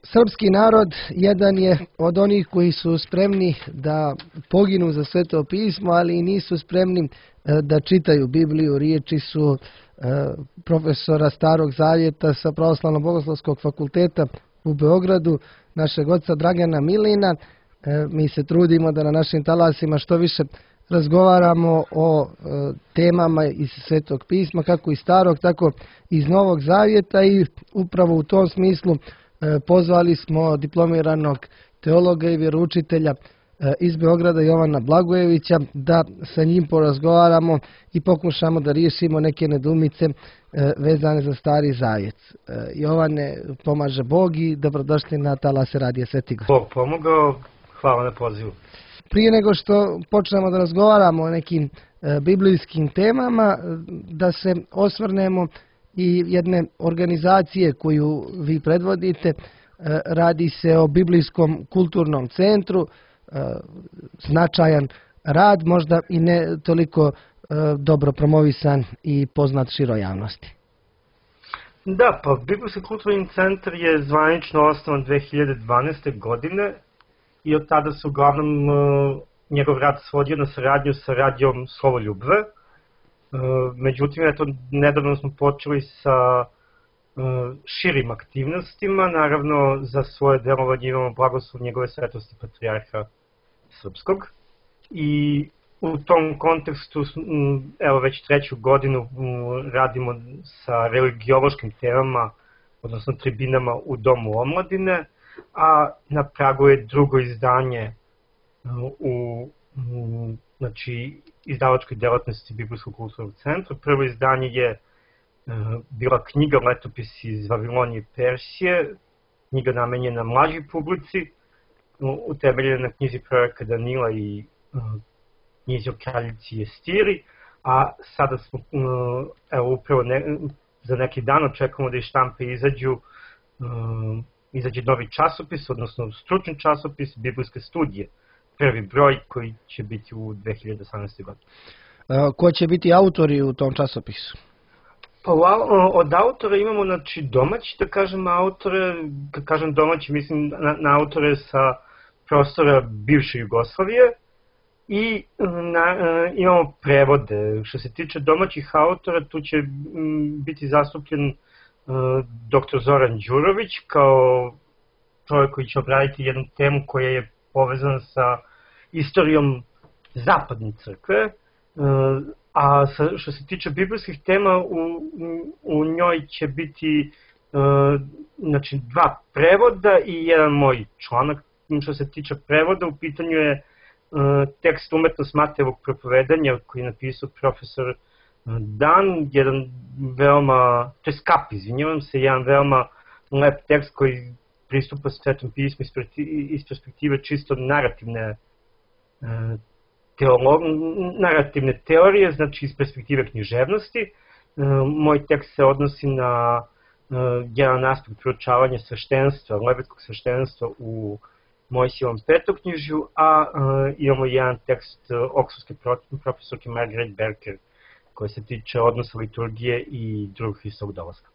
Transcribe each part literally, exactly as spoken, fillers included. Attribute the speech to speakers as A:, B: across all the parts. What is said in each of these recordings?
A: Srpski narod jedan je od onih koji su spremni da poginu za Sveto pismo, ali i nisu spremni da čitaju Bibliju. Riječi su profesora Starog zavjeta sa Pravoslavno-bogoslovskog fakulteta u Beogradu, našeg oca Dragana Milina. Mi se trudimo da na našim talasima što više razgovaramo o temama iz Svetog pisma, kako iz Starog, tako iz Novog zavjeta, i upravo u tom smislu pozvali smo diplomiranog teologa i vjeroučitelja iz Beograda, Jovana Blagojevića, da sa njim porazgovaramo i pokušamo da riješimo neke nedumice vezane za Stari zavjet. Jovane, pomaže Bog i dobrodošli na talase Radija Svetigor.
B: Bog pomogao, hvala na pozivu.
A: Prije nego što počnemo da razgovaramo o nekim biblijskim temama, da se osvrnemo i jedne organizacije koju vi predvodite. Radi se o Biblijskom kulturnom centru, značajan rad, možda i ne toliko dobro promovisan i poznat široj javnosti.
B: Da, pa Biblijski kulturni centar je zvanično osnovan dve hiljade dvanaeste. godine i od tada se uglavnom njegov rad svodio na saradnju sa radijom Slovoljubve. Međutim, eto, nedavno smo počeli sa širim aktivnostima. Naravno, za svoje delovanje imamo blagoslov njegove svetosti patrijarha srpskog. I u tom kontekstu, evo već treću godinu radimo sa religiološkim temama, odnosno tribinama u Domu omladine, a na pragu je drugo izdanje u znači, izdavačkoj delatnosti Biblijskog kulturnog centra. Prvo izdanje je bila knjiga Letopisi iz Vavilonije i Persije, knjiga namenjena mlađoj publici, utemeljena na knjizi proroka Danila i knjizi o kraljici Estiri, a sada smo, evo upravo ne, za neki dan očekujemo da iz štampe izađu, izađe novi časopis, odnosno stručni časopis Biblijske studije, prvi broj koji će biti u dve hiljade osamnaestoj. godini.
A: Ko će biti autori u tom časopisu?
B: Pa od autora imamo, znači, domaći, da kažem, autore, kad kažem domaći, mislim na, na autore sa prostora bivše Jugoslavije, i na, imamo prevode. Što se tiče domaćih autora, tu će biti zastupljen doktor Zoran Đurović kao čovjek koji će obraditi jednu temu koja je povezana sa istorijom zapadne crkve, a što se tiče biblijskih tema, u, u njoj će biti znači, dva prevoda i jedan moj članak. Što se tiče prevoda, u pitanju je tekst Umetnost Matejevog propovedanja koji je napisao profesor Dan, jedan veoma, to je Skap, izvinjavam se, jedan veoma lep tekst koji pristupa Svetom pismu iz perspektive čisto narativne teolog, narativne teorije, znači iz perspektive književnosti. Moj tekst se odnosi na jedan aspekt proučavanja sveštenstva, levetskog sveštenstva u Mojsijevom petoknjižju, a imamo jedan tekst oksforske profesorke Margaret Berker koji se tiče odnosa liturgije i drugog Hristovog dolaska.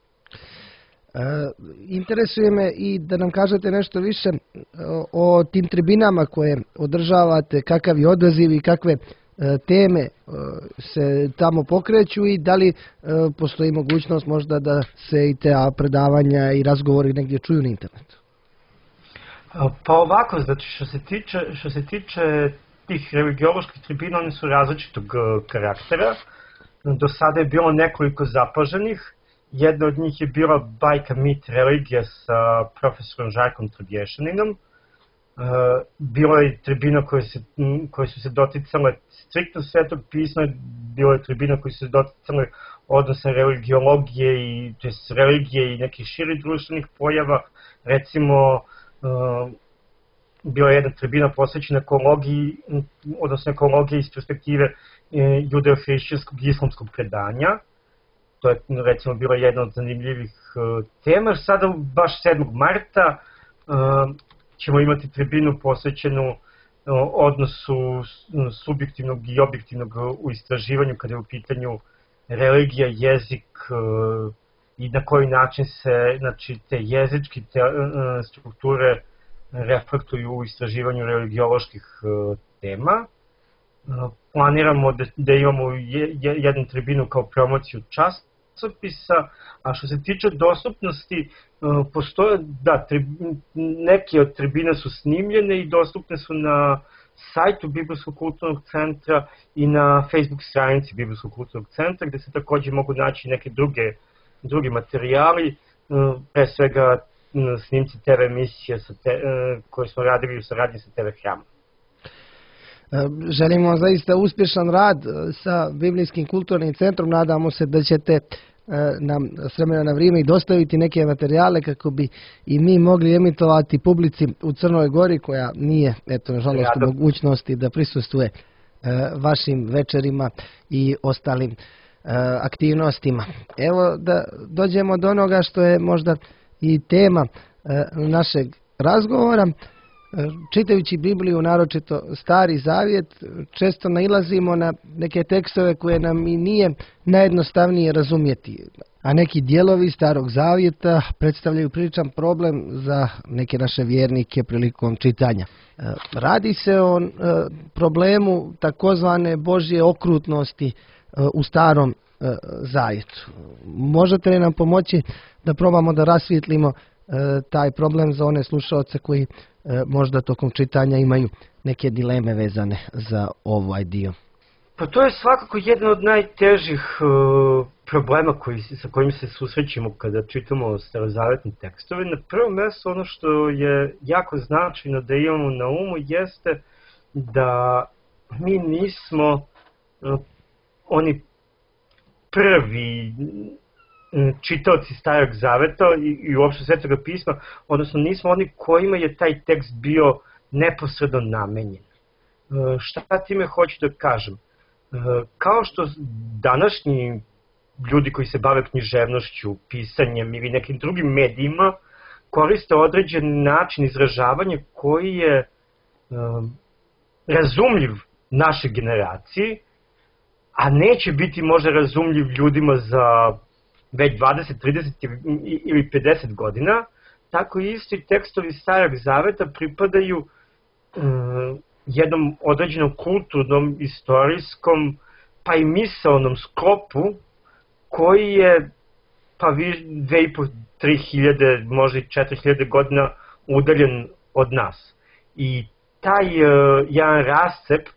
A: E, interesuje me i da nam kažete nešto više o, o tim tribinama koje održavate, kakav je odaziv i kakve e, teme e, se tamo pokreću i da li e, postoji mogućnost možda da se i te predavanja i razgovori negdje čuju na internetu?
B: Pa ovako, znači što se tiče, što se tiče tih religioloških tribina, one su različitog karaktera. Do sada je bilo nekoliko zapaženih. Jedna od njih je bila Bajka, mit, religija sa profesorom Žarkom Trobješaninom. Bilo je tribina koje, se, koje su se doticale striktno Svetog pisma, bilo je tribina koje su se doticale odnosa religiologije i, to jest religije i nekih širih društvenih pojava. Recimo, Uh, bila je jedna tribina posvećena ekologiji, odnosno ekologiji iz perspektive uh, judeo-hrišćanskog i islamskog predanja. To je recimo bila jedna od zanimljivih uh, tema. Sada, baš sedmog marta, uh, ćemo imati tribinu posvećenu uh, odnosu subjektivnog i objektivnog u istraživanju kada je u pitanju religija, jezik uh, i na koji način se, znači, te jezičke te, uh, strukture reflektuju u istraživanju religioloških uh, tema. Uh, planiramo da, da imamo je, je, jednu tribinu kao promociju časopisa, a što se tiče dostupnosti, uh, postoje, da, tri, neke od tribina su snimljene i dostupne su na sajtu Biblijskog kulturnog centra i na Facebook stranici Biblijskog kulturnog centra, gde se takođe mogu naći neke druge, drugi materijali, pre svega snimci te ve emisije sa te, koje smo radili u saradnji sa te ve Hramom.
A: Želimo zaista uspješan rad sa Biblijskim kulturnim centrom, nadamo se da ćete nam s vremena na vrijeme i dostaviti neke materijale kako bi i mi mogli emitovati publici u Crnoj Gori koja nije, eto, nažalost, u mogućnosti da prisustvuje vašim večerima i ostalim aktivnostima. Evo da dođemo do onoga što je možda i tema našeg razgovora. Čitajući Bibliju, naročito Stari Zavjet, često nailazimo na neke tekstove koje nam i nije najjednostavnije razumjeti, a neki dijelovi Starog Zavjeta predstavljaju priličan problem za neke naše vjernike prilikom čitanja. Radi se o problemu takozvane Božje okrutnosti u Starom Zavjetu. Možete li nam pomoći da probamo da rasvijetlimo taj problem za one slušaoce koji možda tokom čitanja imaju neke dileme vezane za ovaj dio?
B: Pa to je svakako jedan od najtežih uh, problema koji, sa kojim se susrećemo kada čitamo starozavetne tekstove. Na prvom mjestu ono što je jako značajno da imamo na umu jeste da mi nismo uh, oni prvi čitaoci Starog Zaveta i, i uopšte Svetoga pisma, odnosno nismo oni kojima je taj tekst bio neposredno namenjen. E, šta time hoću da kažem? E, kao što današnji ljudi koji se bave književnošću, pisanjem ili nekim drugim medijima koriste određen način izražavanja koji je e, razumljiv našoj generaciji, a neće biti možda razumljiv ljudima za već dvadeset, trideset ili pedeset godina, tako isto i tekstovi Starog Zaveta pripadaju um, jednom određenom kulturnom, istorijskom, pa i misaonom sklopu koji je pa dve i po, tri hiljade, možda i četiri hiljade godina udaljen od nas. I taj uh, jedan rascep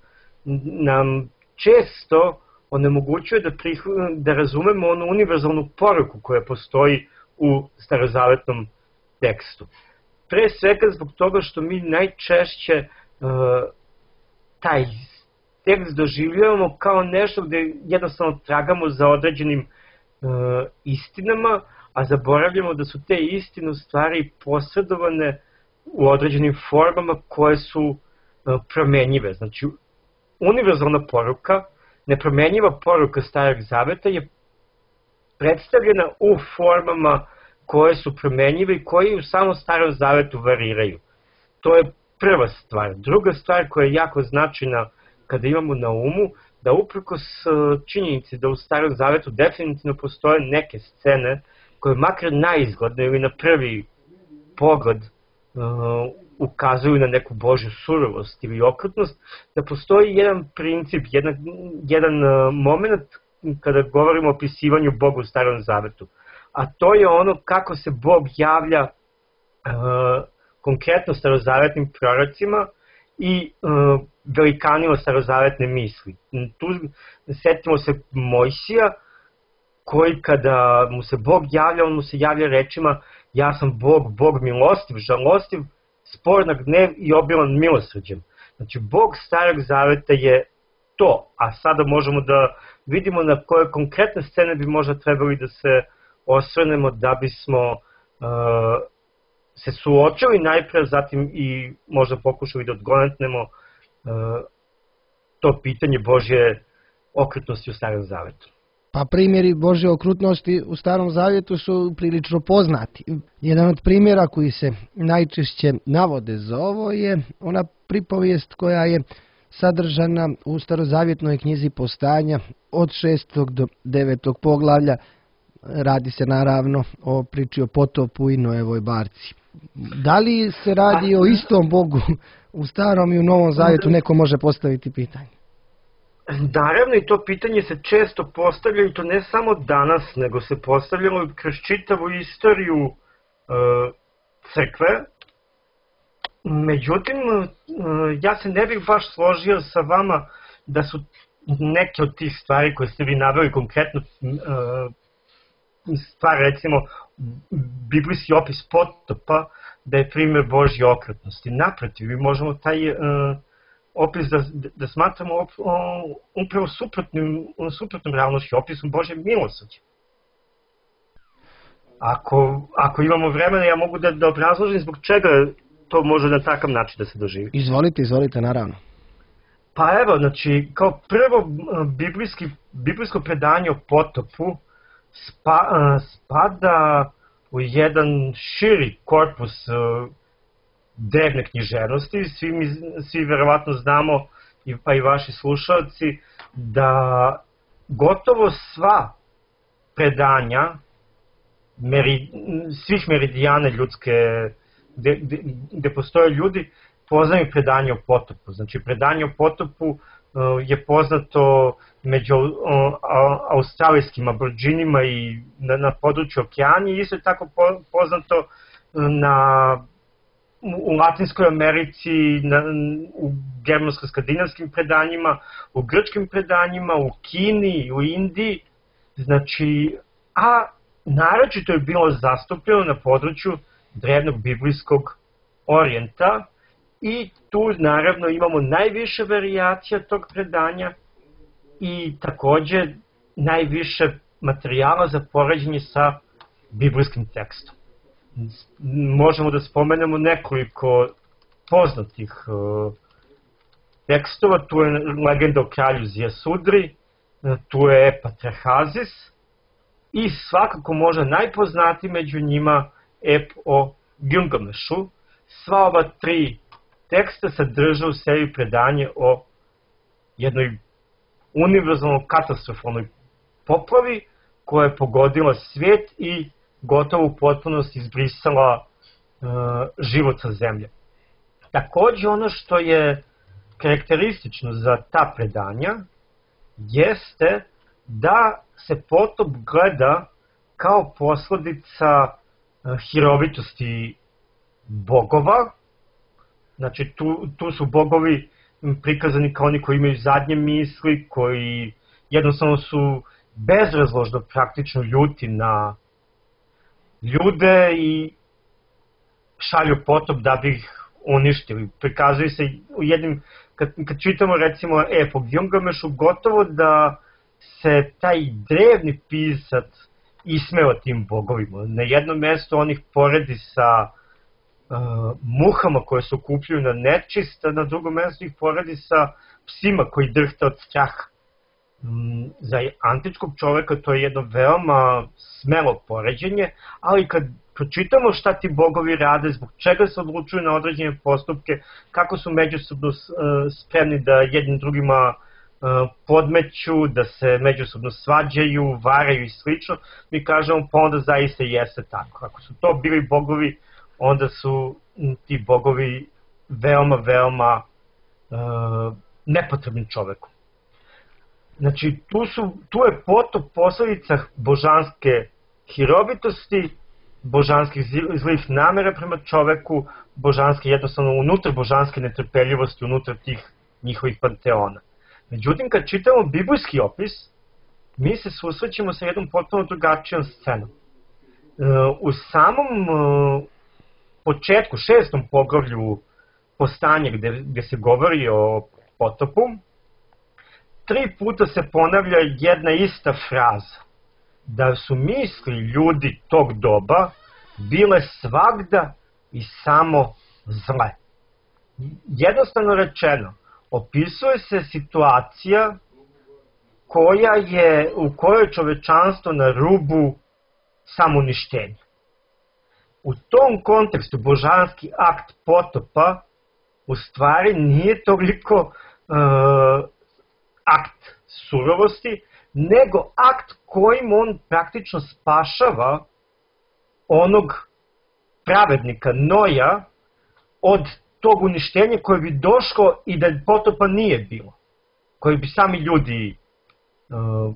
B: nam često onemogućuje da, prih, da razumemo onu univerzalnu poruku koja postoji u starozavetnom tekstu. Pre svega zbog toga što mi najčešće uh, taj tekst doživljavamo kao nešto gde jednostavno tragamo za određenim uh, istinama, a zaboravljamo da su te istine u stvari posredovane u određenim formama koje su uh, promenjive. Znači, univerzalna poruka, nepromenjiva poruka Starog Zaveta je predstavljena u formama koje su promenjive i koje u samom Starom Zavetu variraju. To je prva stvar. Druga stvar koja je jako značajna kada imamo na umu, da uprkos činjenici da u Starom Zavetu definitivno postoje neke scene koje makar naizgledno ili na prvi pogled uh, ukazuju na neku Božju surovost ili okrutnost, da postoji jedan princip, jedan, jedan uh, moment kada govorimo o opisivanju Boga u Starom Zavetu. A to je ono kako se Bog javlja uh, konkretno starozavetnim prorocima i uh, velikanima starozavetne misli. Tu setimo se Mojsija, koji kada mu se Bog javlja, on mu se javlja rečima: ja sam Bog, Bog milostiv, žalostiv, spor na gnev i obilan milosrđem. Znači, Bog Starog Zaveta je to, a sada možemo da vidimo na koje konkretne scene bi možda trebali da se osvrnemo da bismo uh, se suočili najpre, zatim i možda pokušali da odgonetnemo uh, to pitanje Božje okrutnosti u Starom Zavetu.
A: Pa primjeri Božje okrutnosti u Starom Zavjetu su prilično poznati. Jedan od primjera koji se najčešće navode za ovo je ona pripovijest koja je sadržana u starozavjetnoj knjizi Postanja od šestog do devetog poglavlja, Radi se naravno o priči o potopu i Noevoj barci. Da li se radi o istom Bogu u Starom i u Novom Zavjetu, neko može postaviti pitanje?
B: Naravno, i to pitanje se često postavlja, i to ne samo danas, nego se postavljalo kroz čitavu istoriju e, crkve. Međutim, e, ja se ne bih baš složio sa vama da su neke od tih stvari koje ste vi naveli konkretno, e, stvar, recimo, biblijski opis potopa, da je primjer Božje okretnosti. Naprotiv, mi možemo taj uh, opis da, da smatramo op, uh, upravo suprotnim, suprotnom realnošću, opisom Božje milosrđa. Ako, ako imamo vremena, ja mogu da, da obrazložim zbog čega to može na takav način da se doživi.
A: Izvolite, izvolite, naravno.
B: Pa evo, znači, kao prvo biblijski, biblijsko predanje o potopu spa, uh, spada u jedan širi korpus uh, drevne književnosti. Svi, mi, svi verovatno znamo, i, pa i vaši slušalci, da gotovo sva predanja meri, svih meridijana ljudske, gde, gde, gde postoje ljudi, poznaju predanje o potopu. Znači, predanje o potopu uh, je poznato među uh, australijskim aborđinima i na, na području Okeanije, isto je tako po, poznato na, u Latinskoj Americi, na, u germansko-skandinavskim predanjima, u grčkim predanjima, u Kini, u Indiji, znači, a naročito je bilo zastupljeno na području drevnog biblijskog orijenta, i tu naravno imamo najviše varijacija tog predanja i takođe najviše materijala za poređenje sa biblijskim tekstom. Možemo da spomenemo nekoliko poznatih uh, tekstova. Tu je legenda o kralju Zijasudri, tu je epa Trahazis i svakako možda najpoznatiji među njima ep o Gilgamešu. Sva ova tri teksta sadrža u sebi predanje o jednoj univerzalno katastrofalnoj poplavi koja je pogodila svijet i gotovo u potpunosti izbrisala uh, život sa zemlje. Takođe, ono što je karakteristično za ta predanja jeste da se potop gleda kao posledica uh, hirovitosti bogova. Znači, tu, tu su bogovi prikazani kao oni koji imaju zadnje misli, koji jednostavno su bezrazložno praktično ljuti na ljude i šalju potop da bi ih uništili. Prikazuju se u jednim, kad, kad čitamo recimo ep o Gilgamešu, gotovo da se taj drevni pisac ismeo tim bogovima. Na jednom mjestu on ih poredi sa Uh, muhama koje se okupljaju na nečist, a na drugom mjestu ih poredi sa psima koji drhte od straha. Um, za antičkog čoveka to je jedno veoma smelo poređenje, ali kad pročitamo šta ti bogovi rade, zbog čega se odlučuju na određene postupke, kako su međusobno uh, spremni da jednim drugima uh, podmeću, da se međusobno svađaju, varaju i slično, mi kažemo pa onda zaista jeste tako. Ako su to bili bogovi, onda su ti bogovi veoma, veoma uh, nepotrebni čoveku. Znači, tu, su, tu je potop posledica božanske hirovitosti, božanskih zlih namera prema čoveku, božanske, jednostavno unutar božanske netrpeljivosti, unutar tih njihovih panteona. Međutim, kad čitamo biblijski opis, mi se susrećemo sa jednom potpuno drugačijom scenom. Uh, u samom uh, početku, šestom poglavlju Postanja, gde, gde se govori o potopu, tri puta se ponavlja jedna ista fraza, da su misli ljudi tog doba bile svagda i samo zle. Jednostavno rečeno, opisuje se situacija koja je, u kojoj je čovečanstvo na rubu samouništenja. U tom kontekstu božanski akt potopa u stvari nije toliko uh, akt surovosti, nego akt kojim on praktično spašava onog pravednika Noja od tog uništenja koje bi došlo i da potopa nije bilo, koje bi sami ljudi uh,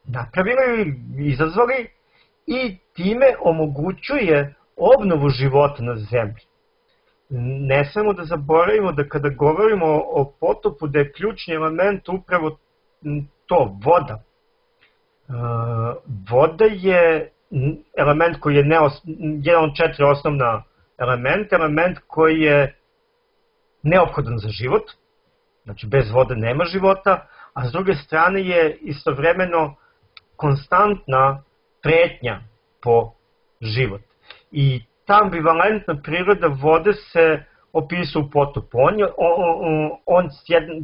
B: napravili, izazvali, i time omogućuje obnovu života na zemlji. Ne smemo da zaboravimo da kada govorimo o potopu da je ključni element upravo to, voda. Voda je element koji je neos, jedan od četiri osnovna elementa, element koji je neophodan za život, znači bez vode nema života, a s druge strane je istovremeno konstantna pretnja po život. I ta ambivalentna priroda vode se opisuje u potopu. On, on, on,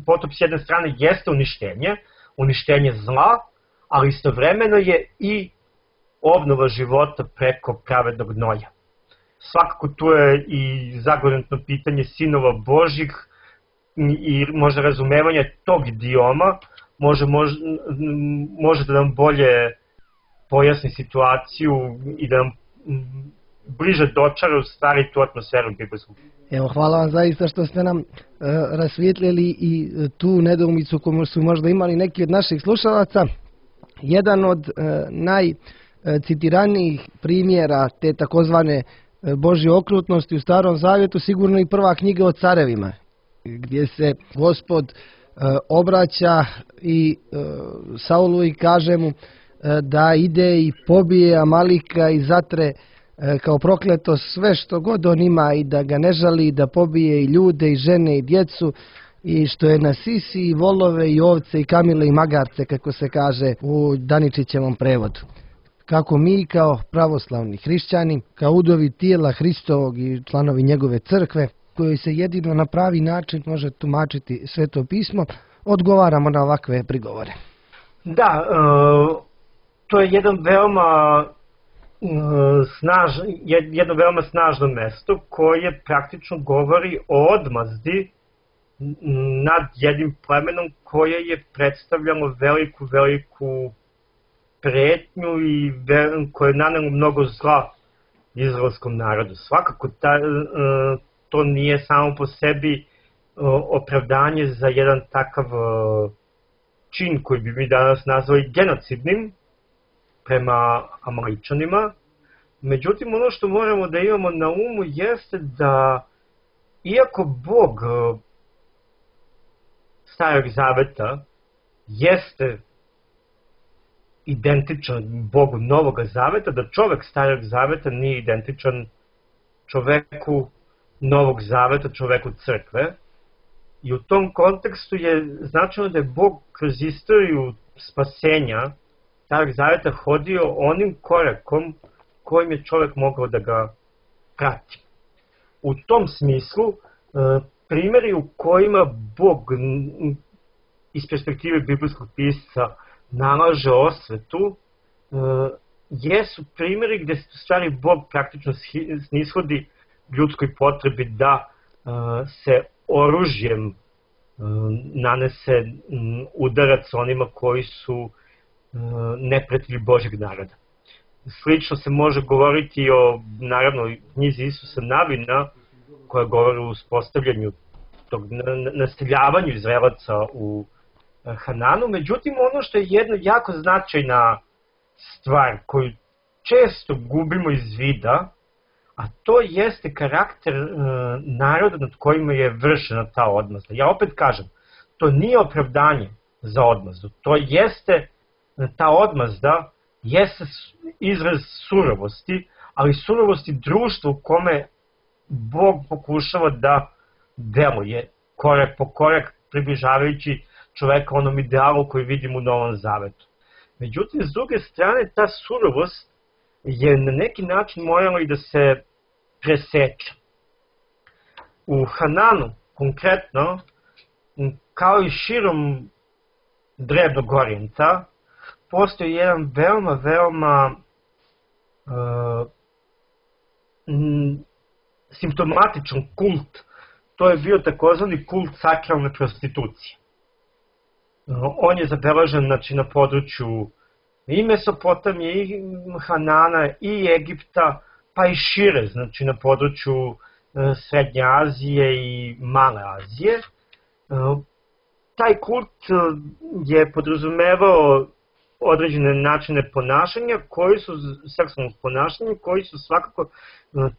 B: potop s jedne strane jeste uništenje, uništenje zla, ali istovremeno je i obnova života preko pravednog Noja. Svakako tu je i zagovorno pitanje sinova Božjih i možda razumevanje tog idioma može, može, može da nam bolje pojasni situaciju i da nam bliže dočara u stvari tu atmosferu biblijsku.
A: Evo, hvala vam zaista što ste nam e, rasvijetljili i tu nedoumicu koju su možda imali neki od naših slušalaca. Jedan od e, najcitiranijih primjera te takozvane Božje okrutnosti u Starom Zavjetu sigurno i prva knjiga o carevima, gdje se Gospod e, obraća i e, Saulu i kaže mu e, da ide i pobije Amalika i zatre kao prokleto sve što god on ima i da ga ne žali, da pobije i ljude i žene i djecu i što je na sisi i volove i ovce i kamile i magarce, kako se kaže u Daničićevom prevodu. Kako mi kao pravoslavni hrišćani, kao udovi tijela Hristovog i članovi njegove crkve, koji se jedino na pravi način može tumačiti Sveto pismo, odgovaramo na ovakve prigovore.
B: Da, uh, to je jedan veoma Snaž, jedno veoma snažno mesto koje praktično govori o odmazdi nad jednim plemenom koje je predstavljalo veliku, veliku pretnju i koje je nanelo mnogo zla izraelskom narodu. Svakako ta, to nije samo po sebi opravdanje za jedan takav čin koji bi mi danas nazvali genocidnim prema Amaličanima. Međutim, ono što moramo da imamo na umu jeste da iako Bog Starog Zaveta jeste identičan Bogu Novog Zaveta, da čovek Starog Zaveta nije identičan čoveku Novog Zaveta, čoveku crkve. I u tom kontekstu je značajno da je Bog kroz istoriju spasenja Starog Zaveta hodio onim korakom kojim je čovjek mogao da ga prati. U tom smislu, primjeri u kojima Bog iz perspektive biblijskog pisca nalaže osvetu, jesu primjeri gdje stvari Bog praktično snishodi ljudskoj potrebi da se oružjem nanese udarac onima koji su neprijatelji Božjeg naroda. Slično se može govoriti o, naravno, knjizi Isusa Navina, koja govori o uspostavljanju tog naseljavanju Izraelaca u Hananu. Međutim, ono što je jedna jako značajna stvar koju često gubimo iz vida, a to jeste karakter e, naroda nad kojima je vršena ta odmazda. Ja opet kažem, to nije opravdanje za odmazdu, to jeste ta odmazda, jeste izraz surovosti, ali surovosti društva u kome Bog pokušava da deluje korak po korak, približavajući čoveka onom idealu koji vidimo u Novom Zavetu. Međutim, s druge strane, ta surovost je na neki način morala i da se preseče. U Hananu, konkretno, kao i širom Drevnog Orijenta, postoji jedan veoma, veoma uh, m, simptomatičan kult. To je bio takozvani kult sakralne prostitucije. On je zabeležen, znači, na području i Mesopotamije, i Hanana, i Egipta, pa i šire, znači na području Srednje Azije i Male Azije. Taj kult je podrazumevao određene načine ponašanja, koji su, seksualnog ponašanja, koji su svakako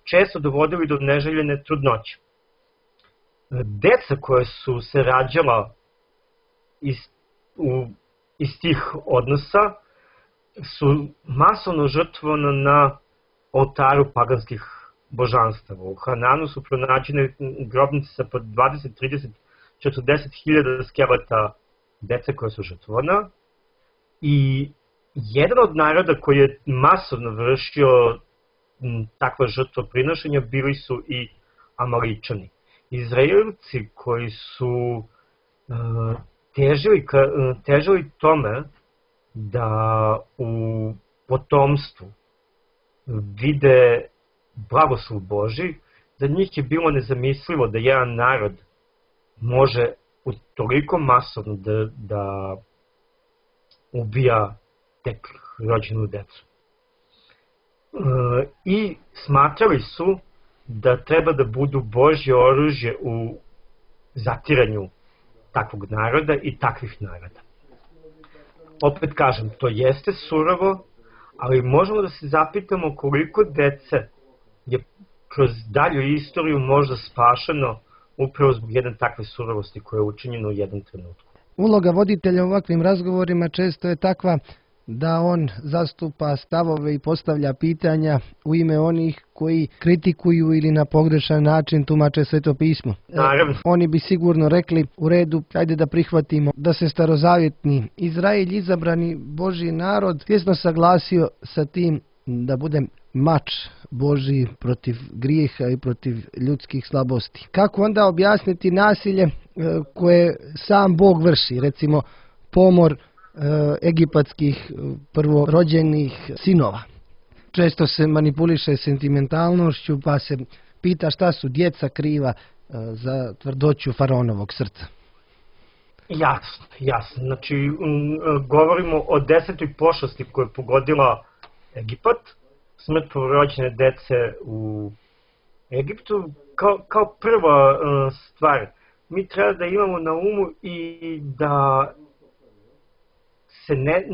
B: često dovodili do neželjene trudnoće. Deca koje su se rađala iz, u, iz tih odnosa su masovno žrtvovana na oltaru paganskih božanstava. U Hananu su pronađene grobnice sa po dvadeset, trideset, četrdeset hiljada skeleta dece koje su žrtvovana. I jedan od naroda koji je masovno vršio takva žrtvoprinošenja bili su i Amaličani. Izraelci koji su uh, težili, uh, težili tome da u potomstvu vide blagoslov Božji, za njih je bilo nezamislivo da jedan narod može u toliko masovno da, da ubija tek rođenu decu. E, I smatrali su da treba da budu Božje oružje u zatiranju takvog naroda i takvih naroda. Opet kažem, to jeste surovo, ali možemo da se zapitamo koliko dece je kroz dalju istoriju možda spašeno upravo zbog jedne takve surovosti koja je učinjena u jednom trenutku.
A: Uloga voditelja u ovakvim razgovorima često je takva da on zastupa stavove i postavlja pitanja u ime onih koji kritikuju ili na pogrešan način tumače Sveto pismo.
B: Naravno.
A: Oni bi sigurno rekli, u redu, ajde da prihvatimo da se starozavjetni Izrael, izabrani Božji narod, svjesno saglasio sa tim da bude mač Božji protiv grijeha i protiv ljudskih slabosti. Kako onda objasniti nasilje koje sam Bog vrši, recimo pomor egipatskih prvorođenih sinova? Često se manipuliše sentimentalnošću, pa se pita šta su djeca kriva za tvrdoću faraonovog srca.
B: Jasno, jasno. Znači, govorimo o desetoj pošasti koja je pogodila Egipat, smrt prvorođene dece u Egiptu. Kao, kao prva uh, stvar, mi treba da imamo na umu i da se ne,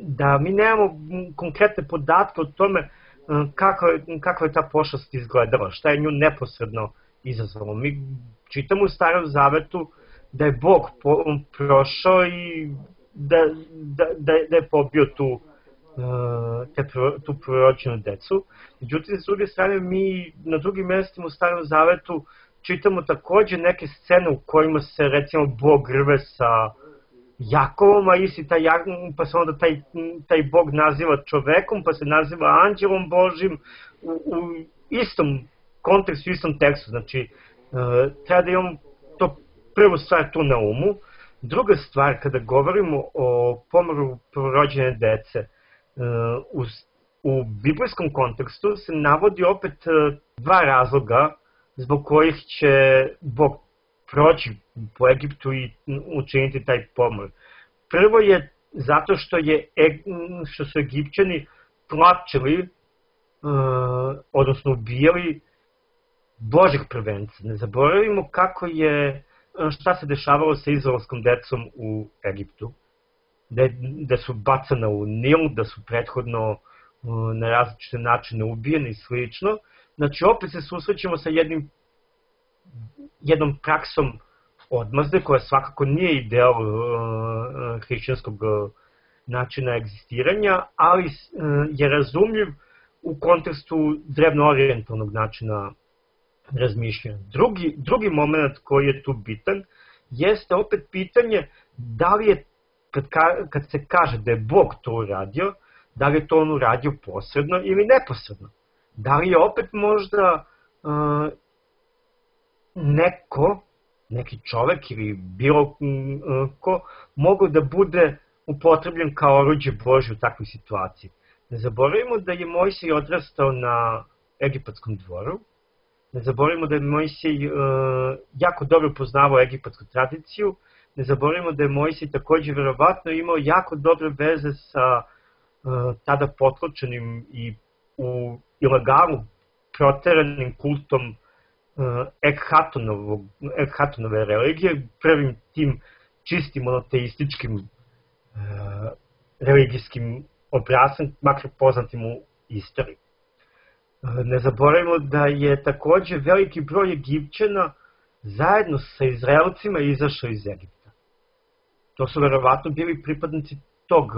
B: da mi nemamo konkretne podatke o tome uh, kako, kako je ta pošast izgledala, šta je nju neposredno izazvalo. Mi čitamo u Starom Zavetu da je Bog po, prošao i da, da, da, da je pobio tu Te, tu proročenu decu. Međutim, s druge strane, mi na drugim mjestima u Starom Zavetu čitamo također neke scene u kojima se, recimo, Bog rve sa Jakovom, a isti taj, pa se onda taj, taj Bog naziva čovekom, pa se naziva anđelom Božim u, u istom kontekstu, u istom tekstu. Znači, treba da imamo to prvu stvar tu na umu. Druga stvar, kada govorimo o pomoru prvorođene dece, U, u biblijskom kontekstu se navodi opet dva razloga zbog kojih će Bog proći po Egiptu i učiniti taj pomor. Prvo je zato što, je, što su Egipćani tlačili, odnosno ubijali Božih prvenca. Ne zaboravimo kako je, šta se dešavalo sa izraelskom decom u Egiptu. Da, da su bacana u Nil, da su prethodno uh, na različite načine ubijeni i slično. Znači, opet se susrećemo sa jednim, jednom praksom odmazde, koja svakako nije ideal uh, hrišćanskog uh, načina egzistiranja, ali uh, je razumljiv u kontekstu drevno-orijentalnog načina razmišljanja. Drugi, drugi moment koji je tu bitan jeste opet pitanje da li je Kad, ka, kad se kaže da je Bog to uradio, da li je to on uradio posredno ili neposredno? Da li je opet možda uh, neko, neki čovek ili bilo uh, ko, mogu da bude upotrebljen kao oruđe Božje u takvoj situaciji? Ne zaboravimo da je Mojsij odrastao na egipatskom dvoru, ne zaboravimo da je Mojsij uh, jako dobro poznavao egipatsku tradiciju, ne zaboravimo da je Mojsij također verovatno imao jako dobre veze sa uh, tada potlačenim i u ilegalu proteranim kultom uh, Ekhatonove religije, prvim tim čistim monoteističkim uh, religijskim obrascem, makar poznatim u istoriji. Uh, ne zaboravimo da je također veliki broj Egipćana zajedno sa Izraelcima izašao iz Egipta. To su verovatno bili pripadnici tog uh,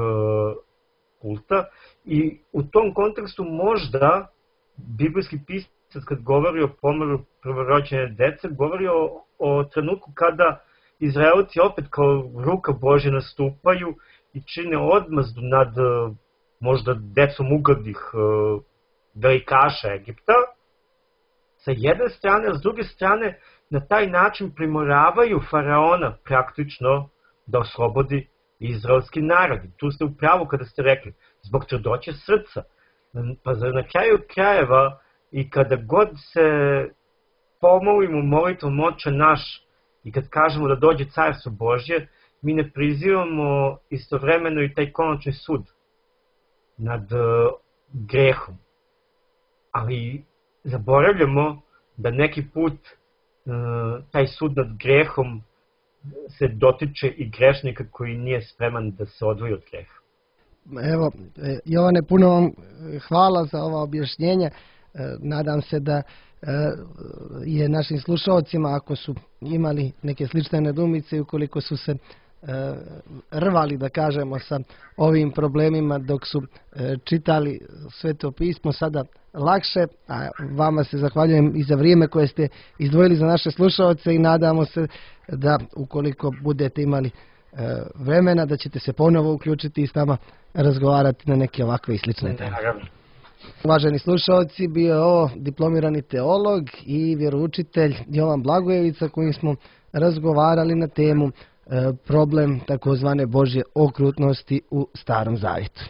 B: kulta i u tom kontekstu možda biblijski pisac kad govori o pomoru prvorođene dece, govori o, o trenutku kada Izraelci opet kao ruka Božja nastupaju i čine odmazdu nad uh, možda decom ugodnih uh, velikaša Egipta sa jedne strane, a s druge strane na taj način primoravaju faraona praktično da oslobodi izraelski narod. Tu ste u pravu kada ste rekli, zbog tvrdoće srca. Pa na kraju krajeva i kada god se pomolimo molitvom Oče naš i kad kažemo da dođe carstvo Božje, mi ne prizivamo istovremeno i taj konačni sud nad uh, grehom. Ali zaboravljamo da neki put uh, taj sud nad grehom se dotiče i grešnika koji nije spreman da se odvoji od greha.
A: Evo, Jovane, puno vam hvala za ova objašnjenja. Nadam se da je našim slušalcima, ako su imali neke slične nedoumice i ukoliko su se rvali, da kažemo, sa ovim problemima dok su čitali Sveto pismo, sada lakše, a vama se zahvaljujem i za vrijeme koje ste izdvojili za naše slušalce i nadamo se da ukoliko budete imali vremena da ćete se ponovo uključiti i s nama razgovarati na neke ovakve i slične teme. Uvaženi slušalci, bio je ovo diplomirani teolog i vjeroučitelj Jovan Blagojević, kojim smo razgovarali na temu problem takozvane Božje okrutnosti u Starom Zavjetu.